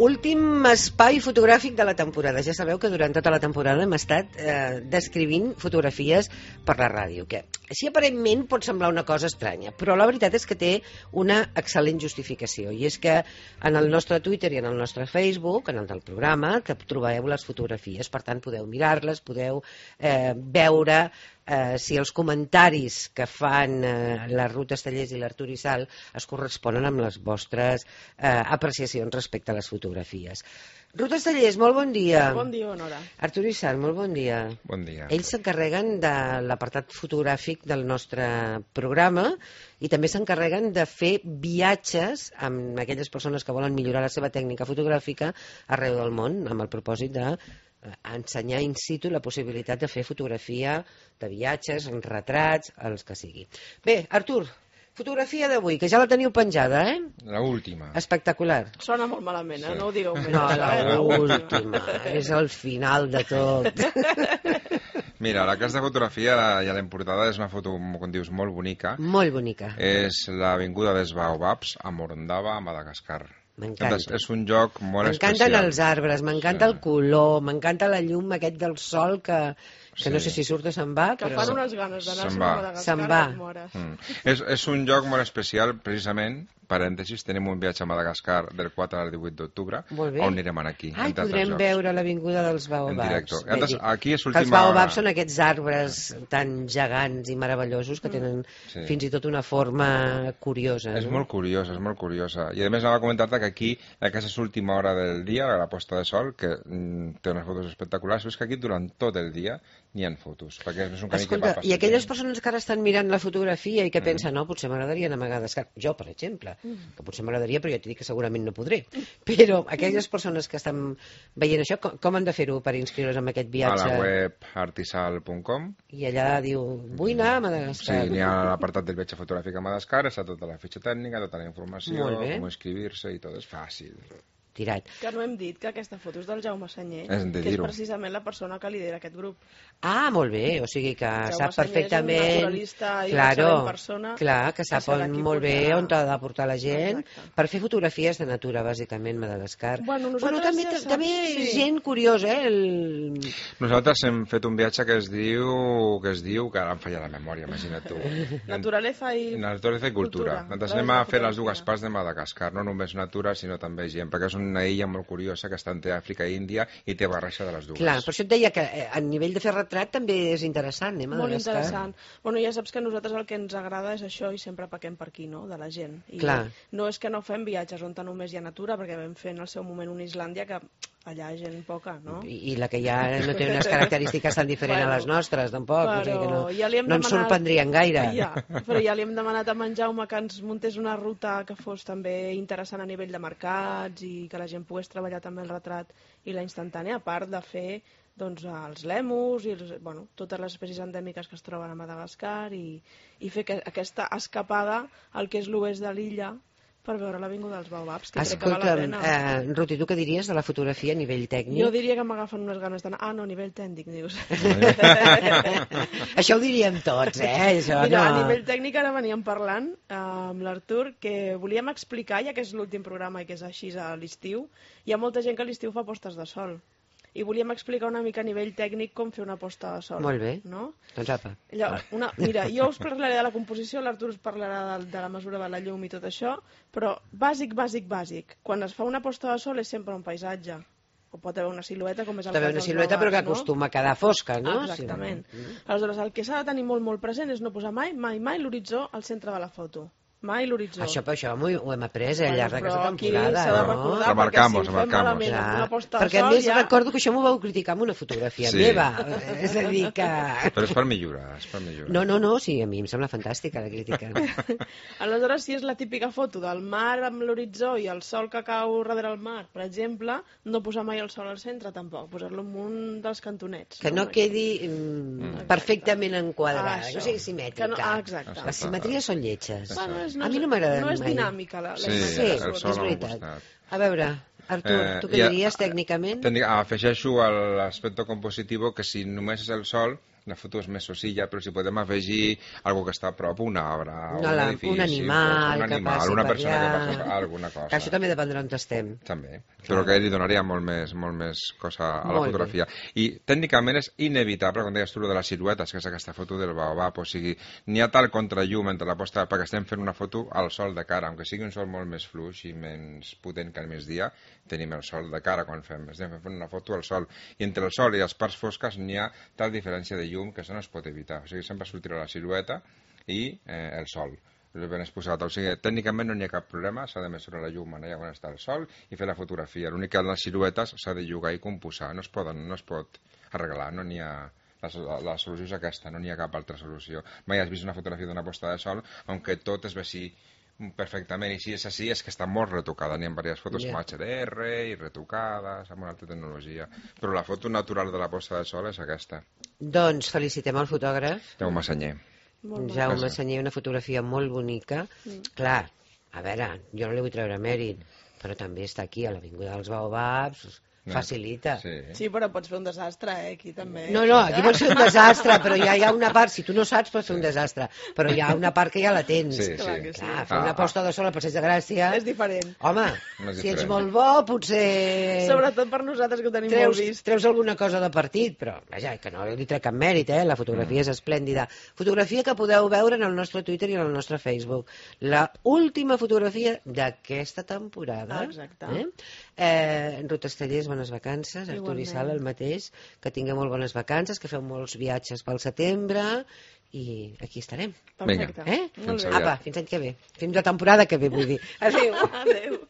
Últim espai fotogràfic de la temporada. Ja sabeu que durant tota la temporada hem estat descrivint fotografies per la ràdio, que així aparentment pot semblar una cosa estranya, però la veritat és que té una excel·lent justificació, i és que en el nostre Twitter i en el nostre Facebook, en el del programa, trobeu les fotografies, per tant podeu mirar-les, podeu veure si els comentaris que fan la Ruth Estellés i l'Artur Isal es corresponen amb les vostres apreciacions respecte a les fotografies. Ruth Estellés, molt bon dia. Bon dia, Honora. Artur Isal, molt bon dia. Bon dia. Ells s'encarreguen de l'apartat fotogràfic del nostre programa i també s'encarreguen de fer viatges amb aquelles persones que volen millorar la seva tècnica fotogràfica arreu del món, amb el propòsit de ensenyar in situ la possibilitat de fer fotografia de viatges, retrats, els que sigui. Bé, Artur, fotografia d'avui, que ja la teniu penjada, eh? La última. Espectacular. Sona molt malament, Sí. No ho digueu més. No, la última. És el final de tot. Mira, la casa de fotografia i a la importada és una foto, com dius, molt bonica. Molt bonica. És l'avinguda dels Baobabs a Morondava, a Madagascar. M'encanta. És un lloc molt especial. M'encanten els arbres, m'encanta el color, m'encanta la llum aquest del sol que no sé si surt o se'n va, Que però fan unes ganes d'anar Se'n a va. Madagascar. Se'n va. que et mores. És un lloc molt especial, precisament, parèntesis, tenim un viatge a Madagascar del 4 al 18 d'octubre, Molt bé. on anirem aquí. Ai, entre altres podrem llocs. veure l'avinguda dels En Baobabs. directe. Bé, Altres, aquí és que els l'última... Baobabs són aquests arbres tan gegants i meravellosos que tenen Sí. fins i tot una forma curiosa. És no? molt curiosa, és molt curiosa. I a més anava a comentar-te que aquí, aquesta és l'última hora del dia, la posta de sol, que té unes fotos espectaculars, però és que aquí durant tot el dia n'hi ha fotos, perquè és un camí que va Escolta, passant. i aquelles persones que ara estan mirant la fotografia i que pensen, no, potser m'agradaria anar a Madagascar. Jo, per exemple, que potser m'agradaria, però ja t'he dit que segurament no podré. Però aquelles persones que estan veient això, com han de fer-ho per inscriure's en aquest A viatge? la web artisal.com. I allà diu, vull anar a Sí, Madagascar. n'hi ha l'apartat del viatge fotogràfic a Madagascar, està tota la fitxa tècnica, tota la informació, Molt bé. com inscribir-se i tot, és fàcil. Tirat. Que no hem dit que aquesta foto és del Jaume Senyer, Hem de que és dir-ho. precisament la persona que lidera aquest grup. Ah, molt bé, o sigui que Jaume sap Senyer és un perfectament... naturalista i una excel·lent persona clar, que sap que serà qui molt bé portarà. on t'ha de portar la gent Exacte. per fer fotografies de natura, bàsicament, Madagascar. Bueno, nosaltres també, ja saps, també sí. gent curiosa, eh? Nosaltres hem fet un viatge que es diu, que ara em falla la memòria, imagina't tu. Naturaleza i... Naturalesa i cultura. Nosaltres anem a fer les dues parts de Madagascar, no només natura, sinó també gent, perquè és una illa molt curiosa que està entre Àfrica i Índia i té barreja de les dues. Clar, per això et deia que a nivell de fer retrat també és interessant, Molt Madagascar. interessant. Bueno, ja saps que a nosaltres el que ens agrada és això i sempre pequem per aquí, no?, de la gent. I Clar. no és que no fem viatges on només hi ha natura, perquè vam fer en el seu moment una Islàndia que allà hi ha gent poca, no? I la que hi ha no té unes característiques tan diferents a les nostres, tampoc. O sigui que no, ja li hem no ens demanat- sorprendrien gaire. Ja, però ja li hem demanat a en Jaume que ens muntés una ruta que fos també interessant a nivell de mercats i que la gent pogués treballar també el retrat i la instantània, a part de fer doncs, els lèmurs i bueno, totes les espècies endèmiques que es troben a Madagascar i fer aquesta escapada al que és l'oest de l'illa per veure l'avinguda dels Baobabs, que crec que val la Escolta'm, pena. Ruth, i tu què diries de la fotografia a nivell tècnic? Jo diria que m'agafen unes ganes d'anar... Ah, no, a nivell tècnic, dius. Això ho diríem tots, Això, Mira, a no. nivell tècnic ara veníem parlant amb l'Artur que volíem explicar, ja que és l'últim programa i que és així a l'estiu, hi ha molta gent que a l'estiu fa postes de sol. I volíem explicar una mica a nivell tècnic com fer una posta de sol. Molt bé. No? Doncs apa. Mira, jo us parlaré de la composició, l'Artur us parlarà de la mesura de la llum i tot això, però bàsic. Quan es fa una posta de sol és sempre un paisatge. O pot haver una silueta, com és el També cas una dels silueta, però que Baobabs, no? acostuma a quedar fosca, no? Exactament. Sí. Aleshores, el que s'ha de tenir molt present és no posar mai l'horitzó al centre de la foto. Mai l'horitzó. Això ho hem après al llarg d'aquesta Però aquí temporada, s'ha de no? recordar, Remarcamos, perquè si ho fem malament Clar, amb una posta de perquè a sol més ja... recordo que això m'ho vau criticar amb una fotografia Sí. meva. És a dir que... Però és per millorar, és per millorar. No, sí, a mi em sembla fantàstica la crítica. Aleshores, si és la típica foto del mar amb l'horitzó i el sol que cau darrere el mar, per exemple, no posar mai el sol al centre tampoc, posar-lo en un dels cantonets. Que no quedi perfectament enquadrada, Això. que no sigui simètrica. Que no- exacte. Les simetries són lletges. Bueno, A mi no m'agrada No és mai. dinàmica la Sí, imatge. el sol és a un veritat. costat. A veure, Artur, tu què diries tècnicament? Afegeixo a l'aspecte compositivo que si només és el sol, la foto és més senzilla, però si podem afegir algo que està a prop, una obra, un edifici, un animal que passi una per persona allà. que passa per alguna cosa. Que això també dependrà on estem. També, però que li donaria molt més cosa a la fotografia. I tècnicament és inevitable, quan deies tu, de les siluetes, que és aquesta foto del baobab, o sigui, n'hi ha tal contrallum entre la posta, perquè estem fent una foto al sol de cara, aunque sigui un sol molt més fluix i menys potent que al migdia, tenim el sol de cara quan estem fent una foto al sol, i entre el sol i les parts fosques n'hi ha tal diferència de llum que això no es pot evitar, o sigui, sempre sortirà la silueta i el sol ben exposat, o sigui, tècnicament no n'hi ha cap problema, s'ha de mesurar la llum allà on està el sol i fer la fotografia, l'únic que en les siluetes s'ha de llogar i composar, no es pot arreglar, no n'hi ha. La solució és aquesta, no n'hi ha cap altra solució. Mai has vist una fotografia d'una posta de sol aunque tot es vegi perfectament, i si és així és que està molt retocada, n'hi ha diverses fotos amb HDR i retocades amb una altra tecnologia, però la foto natural de la posta de sol és aquesta. Doncs felicitem el fotògraf Jaume Senyer. Jaume Senyer, una fotografia molt bonica. Clar, a veure, jo no li vull treure mèrit, però també està aquí a l'Avinguda dels Baobabs, facilita. Sí, però pots fer un desastre, aquí també. No, aquí pots fer un desastre, però ja hi ha una part, si tu no saps pots fer un desastre, però hi ha una part que ja la tens. Clar, fer una posta de sol al Passeig de Gràcia és diferent. Home, si ets molt bo, potser sobretot per nosaltres que ho tenim molt vist, treus alguna cosa de partit, però vaja, que no li trec cap mèrit, la fotografia és esplèndida. Fotografia que podeu veure en el nostre Twitter i en el nostre Facebook. La última fotografia d'aquesta temporada. Exacte. Rutes Tallers, bones vacances. Artur i Sala, el mateix. Que tingueu molt bones vacances, que feu molts viatges pel setembre i aquí estarem. Perfecte. Vinga. Apa, fins l'any que ve. Fins la temporada que ve, vull dir. Adéu. Adéu.